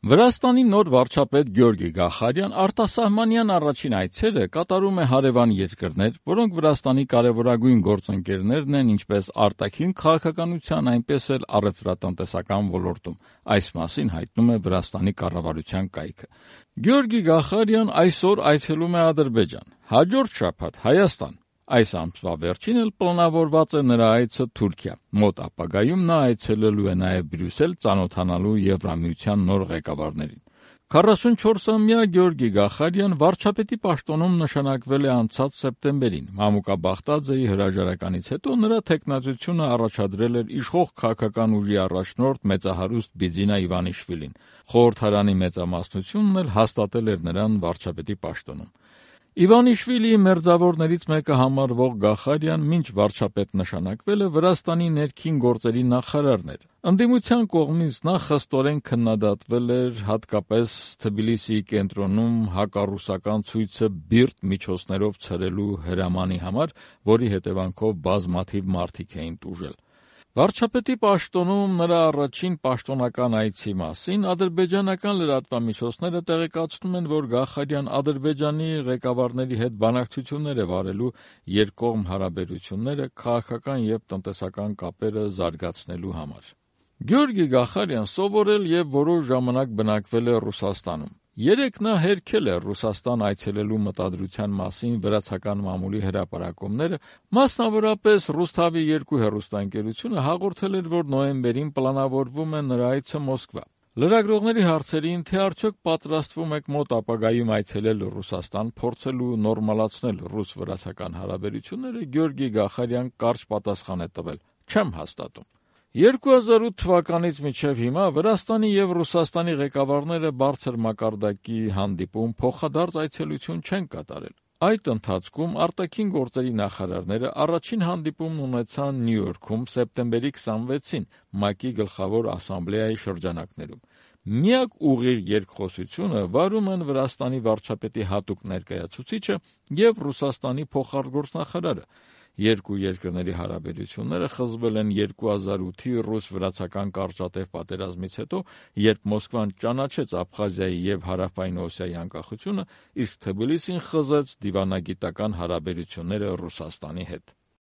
Վրաստանի նոր վարչապետ Գյորգի Գախարյան արտասահմանյան առաջին այցերը կատարում է հարևան երկրներ, որոնք Վրաստանի կարևորագույն գործընկերներն են ինչպես արտաքին քաղաքականության, այնպես էլ առևտրատնտեսական ոլորտում։ Այս մասին հայտնում է Վրաստանի կառավարության կայքը։ Գյորգի Գախարյան այսօր այցելում է Ադրբեջան, հաջորդ շաբաթ Հայաստան։ Այս ամսվա վերջին էլ պլանավորված է նրա այցը Թուրքիա։ Մոտ ապագայում նա այցելելու է նաև Բրյուսել ծանոթանալու Եվրամիության նոր ղեկավարներին։ 44-ամյա Գյորգի Գախարյան վարչապետի պաշտոնում նշանակվել է անցած սեպտեմբերին։ Մամուկա Բաղդաձեի հրաժարականից հետո նրա թեկնածությունը առաջադրել էր իշխող քաղաքական ուժի առաջնորդ մեծահարուստ Բիձինա Իվանիշվիլին։ Խորհրդարանի մեծամասնությունն էլ հաստատել էր նրան վարչապետի պաշտոնում։ Իվանիշվիլիի մերձավորներից մեկը համարվող Գախարյան մինչ վարչապետ նշանակվելը Վրաստանի ներքին գործերի նախարարն էր։ Ընդդիմության կողմից նա խստորեն քննադատվել էր հատկապես Թբիլիսիի կենտրոնում հակառուսական ցույցը բիրտ միջոցներով ցրելու հրամանի համար, որի հետևանքով բազմաթիվ մարդիկ էին տուժել։ Վարչապետի պաշտոնում նրա առաջին պաշտոնական այցի մասին ադրբեջանական լրատվամիջոցները տեղեկացնում են, որ Գախարյան Ադրբեջանի ղեկավարների հետ բանակցություններ է վարելու երկկողմ հարաբերությունները, քաղաքական և տնտեսական կապերը զարգացնելու համար։ Գյորգի Գախարյան սովորել և որոշ ժամանակ բնակվել է Ռուսաստանում։ Երեկ նա հերքել է Ռուսաստան այցելելու մտադրության մասին վրացական մամուլի հրապարակումները, մասնավորապես Ռուսթավի 2 հեռուստաընկերությունը հաղորդել էր, որ նոյեմբերին պլանավորվում է նրա այցը Մոսկվա։ Լրագրողների հարցերին, թե արդյոք պատրաստվում եք մոտ ապագայում այցելել Ռուսաստան, փորձելու նորմալացնել ռուս-վրացական հարաբերությունները, Գյորգի Գախարյան կարճ պատասխան է տվել. «Չեմ հաստատում»։ 2008 թվականից մինչև հիմա Վրաստանի և Ռուսաստանի ղեկավարները բարձր մակարդակի հանդիպում, փոխադարձ այցելություն չեն կատարել։ Այդ ընթացքում արտաքին գործերի նախարարները առաջին հանդիպումն ունեցան Նյու Յորքում սեպտեմբերի 26-ին ՄԱԿ-ի գլխավոր ասամբլեայի շրջանակներում։ Միակ ուղիղ երկխոսությունը վարում են Վրաստանի վարչապետի հատուկ ներկայացուցիչը և Ռուսաստանի փոխարտգործնախարարը։ Երկու երկրների հարաբերությունները խզվել են 2008-ի ռուս-վրացական կարճատև պատերազմից հետո, երբ Մոսկվան ճանաչեց Աբխազիայի և Հարավային Օսիայի անկախությունը, իսկ Թբիլիսին խզեց դիվանագիտական հարաբերությունները Ռուսաստանի հետ։